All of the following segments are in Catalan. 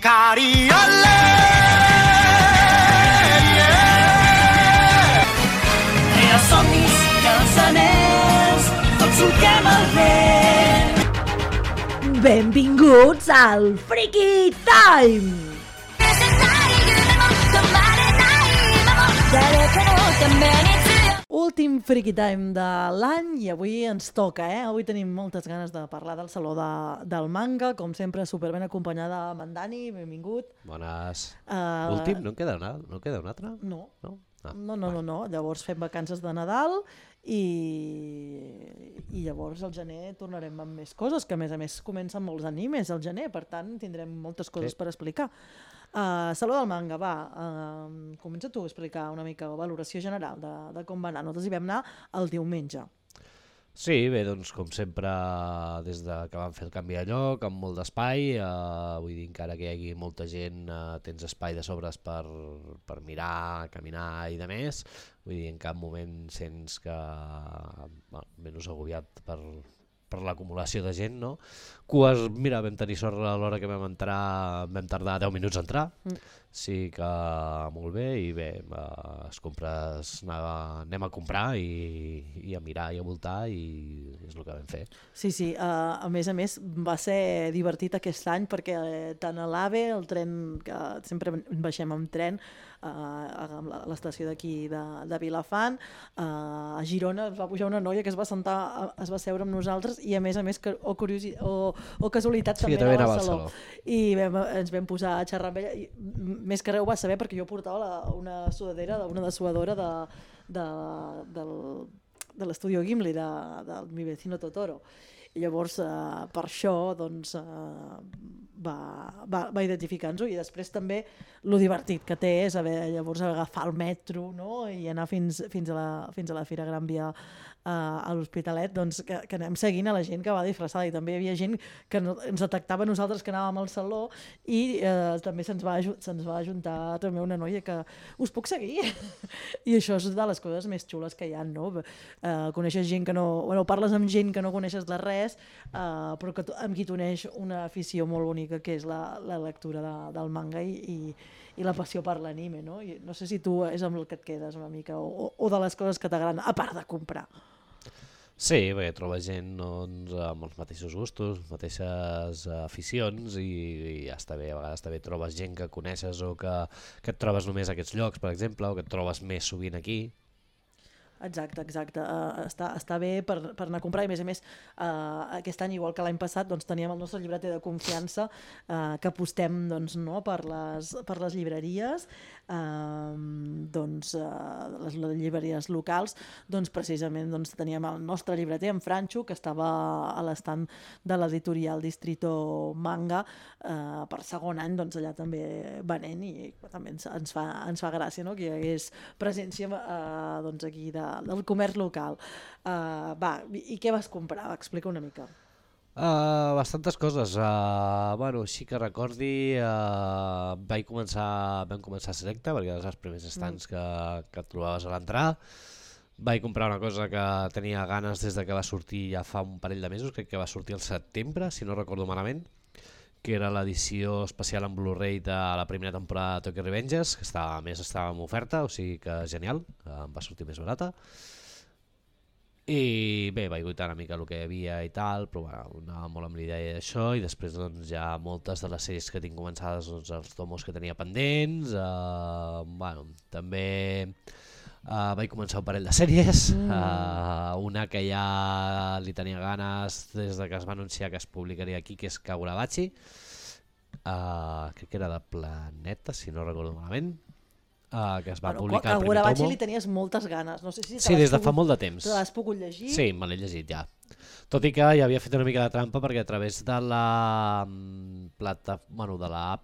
Cari olè, Els somnis i els anells, tots solquem el vent. Benvinguts al Freaky Time! Últim Freaky Time de l'any i avui ens toca, Avui tenim moltes ganes de parlar del Saló del Manga, com sempre superben acompanyada amb en Dani, benvingut. Bones. Últim? No en queda un altre? No. No? No. Llavors fem vacances de Nadal i llavors al gener tornarem amb més coses, que a més comencen molts animes al gener, per tant tindrem moltes coses per explicar. Saló del Manga, va, comença tu a explicar una mica la valoració general de com va anar. Nosaltres hi vam anar el diumenge. Sí, bé, doncs com sempre, des que vam fer el canvi de lloc, amb molt d'espai, vull dir, encara que hi hagi molta gent, tens espai de sobres per mirar, caminar i de més, vull dir, en cap moment sents que, menys agobiat per l'acumulació de gent, no? Cues, mira, vam tenir sort a l'hora que vam entrar, vam tardar 10 minuts a entrar, sí que molt bé, i bé, anem a comprar i a mirar i a voltar, i és el que vam fer. Sí, a més va ser divertit aquest any perquè tant a l'AVE, el tren, que sempre baixem amb tren, a l'estació d'aquí de Vilafant, a Girona es va pujar una noia que es va seure amb nosaltres i a més o casualitat també anava al saló. I ens vam posar a xerrar amb ella i més que res ho va saber perquè jo portava una dessuadora de l'estudio Gimli del Mi Vecino Totoro. I llavors per això doncs, va identificar-nos-ho i després també lo divertit que té és llavors agafar el metro, no? I anar fins a la Fira Gran Via a l'Hospitalet, doncs, que anem seguint a la gent que va disfressada i també hi havia gent que ens detectava nosaltres que anàvem al saló i també se'ns va ajuntar també una noia que us puc seguir i això és de les coses més xules que hi ha, no? Coneixes gent que no... Bueno, parles amb gent que no coneixes de res però amb qui t'uneix una afició molt bonica que és la lectura del manga i la passió per l'anime, no? I no sé si tu és amb el que et quedes una mica o de les coses que t'agraden, a part de comprar. Sí, perquè trobes gent doncs, amb els mateixos gustos, mateixes aficions i ja està bé, a vegades també trobes gent que coneixes o que et trobes només a aquests llocs, per exemple, o que et trobes més sovint aquí. Exacte. Està bé per anar a comprar i a més aquest any, igual que l'any passat, doncs, teníem el nostre llibreter de confiança que apostem doncs, no, per les llibreries, les llibreries locals, doncs, precisament doncs, teníem el nostre llibreter, en Franxo, que estava a l'estand de l'editorial Distrito Manga per segon any, doncs, allà també venent i també ens fa gràcia, no, que hi hagués presència doncs, aquí del comerç local. I què vas comprar? Explica una mica. Bastantes coses. Així que recordi, vam començar a Selecta, perquè eren els primers estants que et trobaves a l'entrar. Vaig comprar una cosa que tenia ganes des que va sortir ja fa un parell de mesos, crec que va sortir al setembre, si no recordo malament, que era l'edició especial en Blu-ray de la primera temporada de Tokyo Revengers, que estava en oferta, o sigui que genial, em va sortir més barata. I bé, vaig guaitar una mica el que hi havia i tal, però anava molt amb l'idea d'això i després doncs, ja moltes de les sèries que tinc començades, doncs, els tomos que tenia pendents, també vaig començar un parell de sèries, una que ja li tenia ganes des que es va anunciar que es publicaria aquí, que és Kagurabachi, crec que era de Planeta, si no recordo malament, que es va publicar el primer tomo. Kagurabachi li tenies moltes ganes, no sé si sí, des de fa molt de temps. Te l'has pogut llegir? Sí, me l'he llegit ja. Tot i que ja havia fet una mica de trampa perquè a través de la app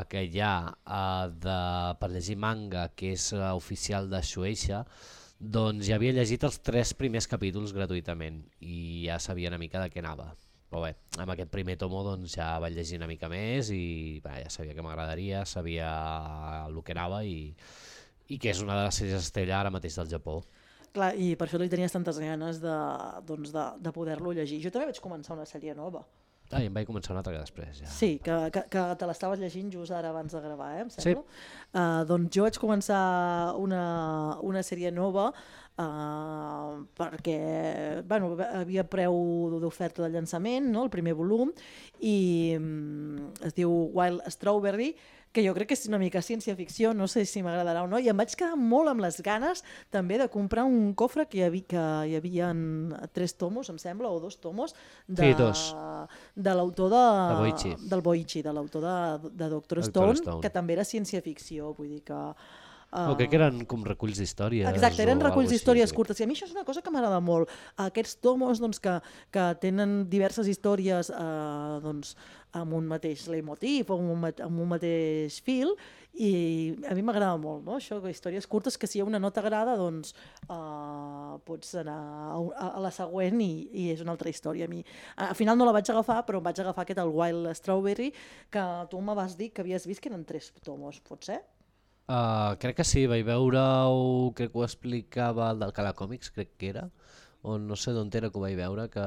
que hi ha per llegir manga, que és oficial de Shueisha, doncs ja havia llegit els 3 primers capítols gratuïtament i ja sabia una mica de què anava. Però bé, amb aquest primer tomo doncs, ja vaig llegir una mica més i ja sabia que m'agradaria, sabia el que anava i que és una de les sèries estrella ara mateix del Japó. Clar, i per això li tenies tantes ganes de poder-lo llegir. Jo també vaig començar una sèrie nova. I em vaig començar una altra que després, ja. Sí, que te l'estaves llegint just ara abans de gravar, em sembla? Sí. Doncs jo vaig començar una sèrie nova perquè havia preu d'oferta de llançament, no? El primer volum, i es diu Wild Strawberry, que jo crec que és una mica ciència-ficció, no sé si m'agradarà o no, i em vaig quedar molt amb les ganes també de comprar un cofre que hi havia 3 tomos, em sembla, o 2 tomos, Sí, 2. de l'autor del Boichi, de l'autor de Dr. Stone, que també era ciència-ficció, vull dir que... crec que eren com reculls d'històries. Exacte, eren reculls d'històries sí. curtes, i a mi això és una cosa que m'agrada molt. Aquests tomos doncs, que tenen diverses històries doncs, amb un mateix leitmotiv o amb un mateix fil, i a mi m'agrada molt, no? Això, històries curtes que si una no t'agrada doncs pots anar a la següent i és una altra història. A mi, al final no la vaig agafar, però em vaig agafar aquest, el Wild Strawberry, que tu me vas dir que havies vist que eren 3 tomos, pot ser? Crec que sí, vaig veure-ho, crec que ho explicava el del Cala Còmics, crec que era, o no sé d'on era que ho vaig veure, que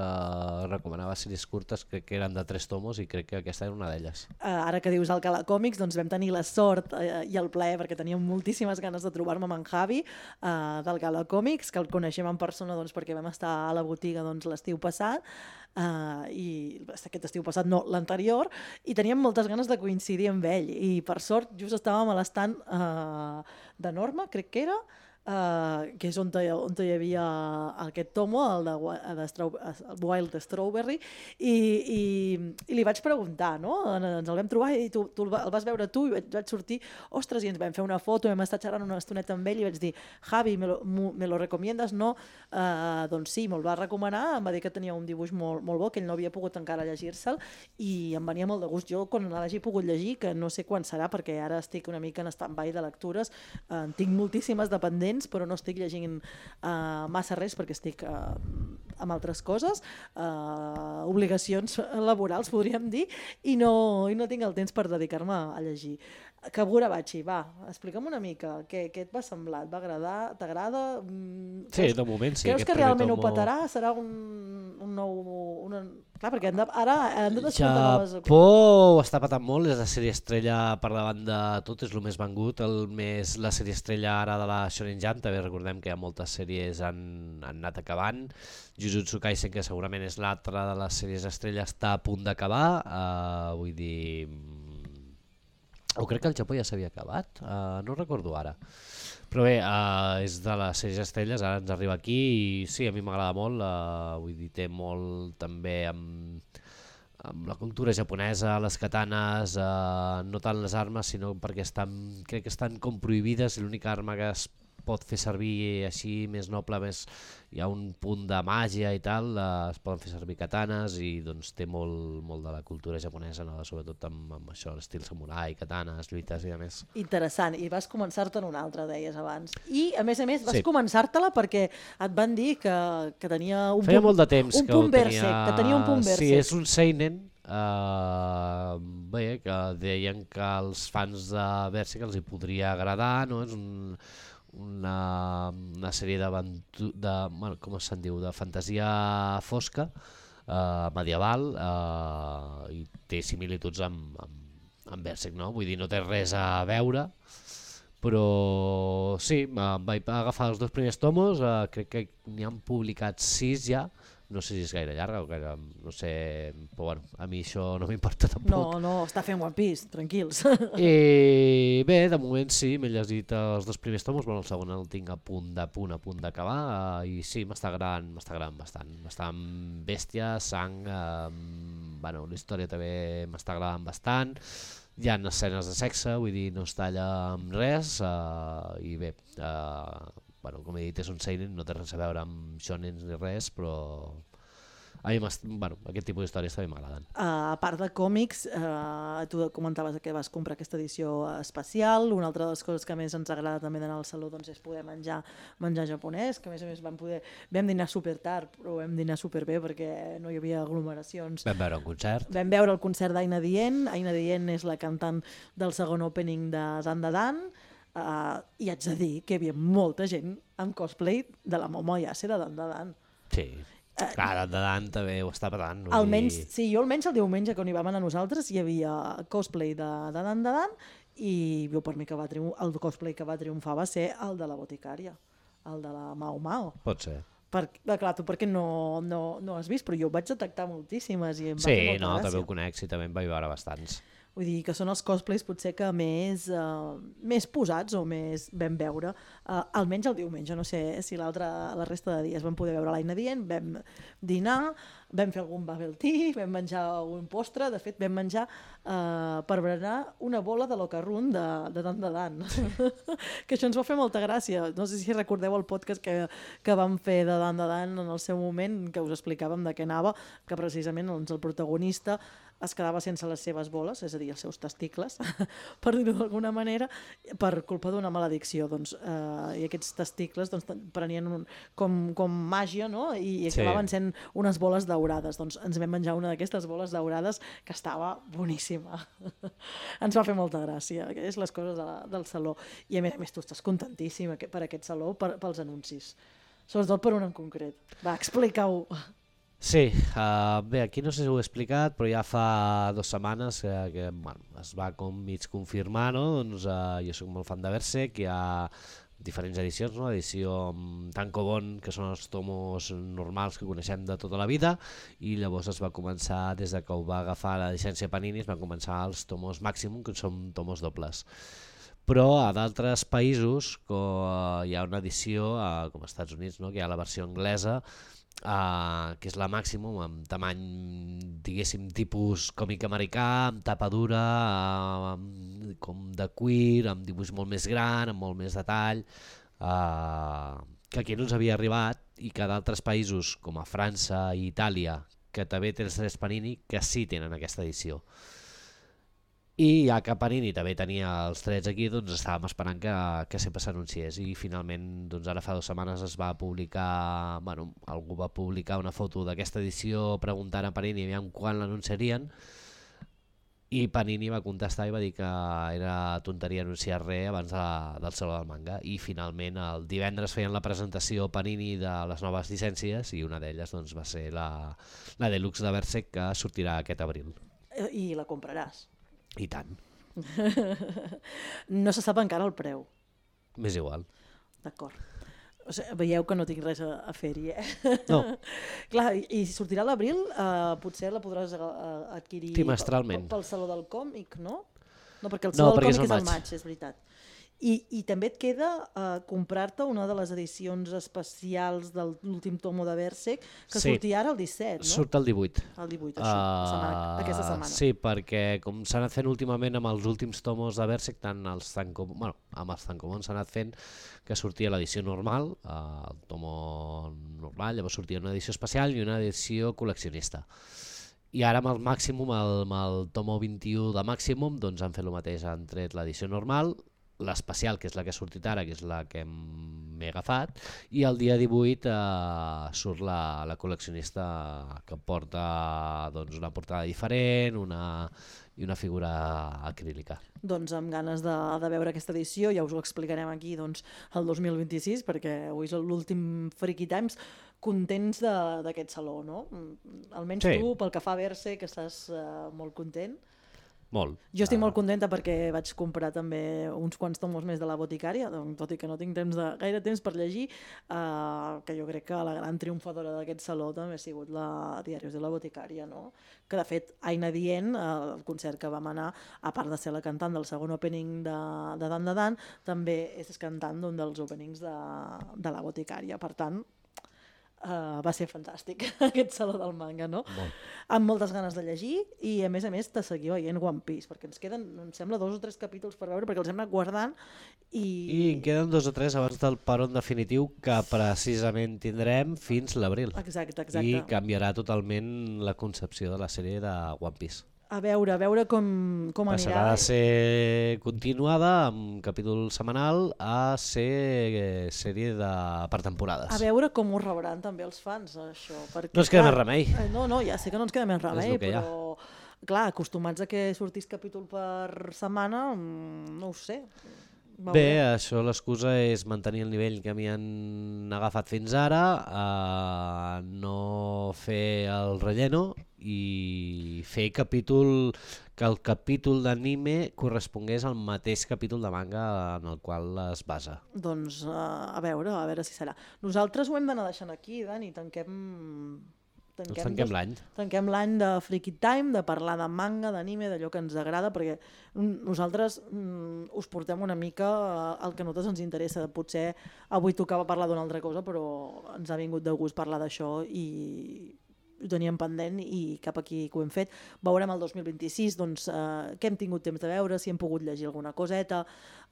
recomanava sèries curtes, crec que eren de 3 tomos i crec que aquesta era una d'elles. Ara que dius Alcalá Còmics, doncs vam tenir la sort i el plaer, perquè teníem moltíssimes ganes de trobar-me amb en Javi d'Alcalá Còmics, que el coneixem en persona doncs, perquè vam estar a la botiga doncs, l'estiu passat, i aquest estiu passat no, l'anterior, i teníem moltes ganes de coincidir amb ell, i per sort just estàvem a l'estand de Norma, crec que era, que és on hi havia aquest tomo, el Wild Strawberry, i li vaig preguntar, no? Ens el vam trobar i tu el vas veure tu, i vaig sortir, ostres, i ens vam fer una foto, vam estar xerrant una estoneta amb ell i vaig dir, Javi, me lo recomiendas, no? Doncs sí, me'l va recomanar, em va dir que tenia un dibuix molt bo, que ell no havia pogut encara llegir-se'l, i em venia molt de gust. Jo, quan l'hagi pogut llegir, que no sé quan serà, perquè ara estic una mica en stand-by de lectures, tinc moltíssimes dependents, però no estic llegint massa res perquè estic amb altres coses, obligacions laborals, podríem dir, i no tinc el temps per dedicar-me a llegir. Kaburabachi, va, explica'm una mica, què et va semblar? Et va agradar? T'agrada? Sí, de moment sí. Creus que realment ho petarà? Serà un nou... Clar, perquè ara han de descomptar noves... Japó ho està patant molt, és la sèrie estrella per davant de tot, és el més vengut, la sèrie estrella ara de la Shonen Jump, també recordem que hi ha moltes sèries han anat acabant, Jujutsu Kaisen, que segurament és l'altra de les sèries estrella, està a punt d'acabar, vull dir... O crec que el Japó ja s'havia acabat, no recordo ara. Però bé, és de les sèries estrelles, ara ens arriba aquí i sí, a mi m'agrada molt, vull dir, té molt també amb la cultura japonesa, les katanes, no tant les armes, sinó perquè crec que estan com prohibides i l'única arma que es pot fer servir així més noble, hi ha un punt de màgia i tal, es poden fer servir katanes i doncs té molt de la cultura japonesa, no? Sobretot amb això, l'estil samurai, katanes, lluites i a més. Interessant, i vas començar-te'n una altra, deies abans. I a més vas començar-te-la perquè et van dir que tenia un Feia molt de temps un punt Berserk, que tenia un punt Berserk. Sí, és un seinen, bé, que deien que als fans de Berserk els hi podria agradar, no? És una sèrie bueno, com se'n diu, de fantasia fosca, medieval, i té similituds amb Berserk, no? Vull dir, no té res a veure, però sí, vaig agafar els 2 primers tomos, crec que n'hi han publicat 6 ja, no sé si és gaire llarga o gaire, no sé, però bueno, a mi això no m'importa tampoc. No, està fent One Piece, tranquils. I bé, de moment sí, m'he llegit els 2 primers tomos, bueno, el segon el tinc a punt d'acabar, i sí, m'està agradant bastant. Bastant bèstia, sang, bueno, la història també m'està agradant bastant, hi ha escenes de sexe, vull dir, no es talla amb res, i bé, bueno, com he dit, és un seinen, no té res a veure amb shonens ni res, però a mi aquest tipus d'històries també m'agraden. A part de còmics, tu comentaves que vas comprar aquesta edició especial. Una altra de les coses que més ens agrada també d'anar al saló doncs, és poder menjar japonès, que a més vam dinar super tard, però vam dinar super bé perquè no hi havia aglomeracions. Vam veure un concert. Vam veure el concert d'Aina Dien. Aina Dien és la cantant del segon opening de Dandadan, i haig de dir que hi havia molta gent amb cosplay de la Momo Yase de Dandadan. Sí. Clar, de Dan també ho està patant. Almenys, sí, jo almenys el diumenge quan hi vam anar nosaltres hi havia cosplay de Dan, i jo per mi que el cosplay que va triomfar va ser el de la boticària, el de la Mao Mao. Pot ser. Clar, tu perquè no has vist, però jo ho vaig detectar moltíssimes i em va Sí, fer molta no, gràcia. també ho conec, sí, també en vaig veure bastants. Vull dir que són els cosplays potser que més posats o més vam veure, almenys el diumenge, no sé si la resta de dies vam poder veure l'Aina Dient, vam dinar, vam fer algun bubble tea, vam menjar un postre, de fet vam menjar per berenar una bola de l'Ocarrun de Dan. Que això ens va fer molta gràcia. No sé si recordeu el podcast que vam fer de Dan en el seu moment, que us explicàvem de què anava, que precisament doncs, el protagonista es quedava sense les seves boles, és a dir, els seus testicles, per dir-ho d'alguna manera, per culpa d'una maledicció. Doncs, i aquests testicles doncs, prenien com màgia, no? I acabaven sent unes boles daurades. Doncs ens vam menjar una d'aquestes boles daurades que estava boníssima. Ens va fer molta gràcia. És les coses del saló. I a més tu estàs contentíssim per aquest saló, pels anuncis. Sobretot per un en concret. Va, explica-ho. Sí, bé, aquí no sé si ho he explicat, però ja fa 2 setmanes que bueno, es va com mig confirmar, no? Doncs jo soc molt fan de Berserk, hi ha diferents edicions, no? Edició tankobon, que són els tomos normals que coneixem de tota la vida, i llavors es va començar, des de que ho va agafar la llicència Panini, es van començar els tomos Maximum, que són tomos dobles. Però a d'altres països hi ha una edició, com als Estats Units, no? Que hi ha la versió anglesa, que és la Maximum, amb tamany, diguéssim, tipus còmic americà, amb tapa dura, com de cuir, amb dibuix molt més gran, amb molt més detall, que aquí no ens havia arribat, i que d'altres països, com a França i Itàlia, que també té els drets Panini, que sí tenen aquesta edició. I ja que Panini també tenia els drets aquí, doncs estàvem esperant que sempre s'anunciés, i finalment doncs ara fa 2 setmanes es va publicar, bueno, algú va publicar una foto d'aquesta edició preguntant a Panini aviam quan l'anunciarien, i Panini va contestar i va dir que era tonteria anunciar res abans del Saló del Manga, i finalment el divendres feien la presentació Panini de les noves llicències, i una d'elles doncs, va ser la Deluxe de Berserk, que sortirà aquest abril. I la compraràs? I tant. No se sap encara el preu. M'és igual. D'acord. O sigui, veieu que no tinc res a fer-hi, No. Clar, i sortirà a l'abril, potser la podràs adquirir trimestralment pel Saló del Còmic, no? No, perquè el Saló del Còmic és al maig, és veritat. I també et queda comprar-te una de les edicions especials de l'últim tomo de Berserk, que sortia ara el 17, no? Surt el 18. El 18, aquesta setmana. Sí, perquè com s'ha anat fent últimament amb els últims tomos de Berserk, tant amb els tankobon s'ha anat fent que sortia l'edició normal, el tomo normal, llavors sortia una edició especial i una edició col·leccionista. I ara amb el Maximum, amb el tomo 21 de Maximum, doncs han fet el mateix, han tret l'edició normal, l'especial, que és la que ha sortit ara, que és la que m'he agafat, i el dia 18 surt la col·leccionista, que porta doncs, una portada diferent i una figura acrílica. Doncs amb ganes de veure aquesta edició, ja us ho explicarem aquí doncs, el 2026, perquè avui és l'últim Freaky Times, contents d'aquest saló, no? Almenys sí. Tu, pel que fa a Berserk, que estàs molt content. Molt. Jo estic molt contenta perquè vaig comprar també uns quants tomos més de la boticària, tot i que no tinc gaire temps per llegir, que jo crec que la gran triomfadora d'aquest saló també ha sigut la Diaris de la boticària, no? Que de fet Aina Dient, el concert que vam anar, a part de ser la cantant del segon opening de Dan, també és cantant d'un dels openings de la boticària, per tant va ser fantàstic aquest saló del manga, no? Molt. Amb moltes ganes de llegir i a més de seguir veient One Piece, perquè ens queden, em sembla, 2 o 3 capítols per veure, perquè els hem anat guardant i en queden 2 o 3 abans del peron definitiu, que precisament tindrem fins l'abril. Exacte. I canviarà totalment la concepció de la sèrie de One Piece. A veure com anirà. Passarà de ser continuada amb capítol setmanal a ser sèrie per temporades. A veure com ho rebran també els fans, això. Perquè, no ens queda més remei. No, ja sé que no ens queda més remei, però clar, acostumats a que sortís capítol per setmana, no ho sé. Bé, això l'excusa és mantenir el nivell que m'hi han agafat fins ara, no fer el relleno i fer que el capítol d'anime correspongués al mateix capítol de manga en el qual es basa. Doncs a veure si serà. Nosaltres ho hem d'anar deixant aquí, Dani, Tanquem l'any. Tanquem l'any de Freaky Time, de parlar de manga, d'anime, d'allò que ens agrada, perquè nosaltres us portem una mica el que a nosaltres ens interessa. Potser avui tocava parlar d'una altra cosa, però ens ha vingut de gust parlar d'això i ho teníem pendent i cap aquí que ho hem fet. Veurem el 2026 doncs, què hem tingut temps de veure, si hem pogut llegir alguna coseta,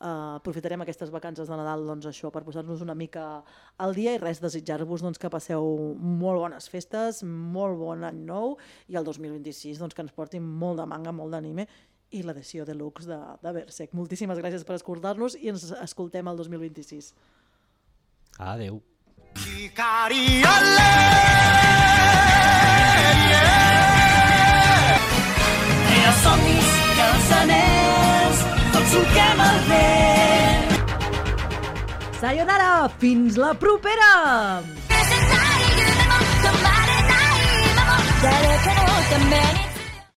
aprofitarem aquestes vacances de Nadal doncs, això per posar-nos una mica al dia i res, desitjar-vos doncs, que passeu molt bones festes, molt bon any nou i el 2026 doncs, que ens portin molt de manga, molt d'anime i l'edició deluxe de Berserk. Moltíssimes gràcies per escoltar-nos i ens escoltem el 2026. Adeu. Els somnis i els anells, tots solquem el vent. Sayonara! Fins la propera! 誰かのために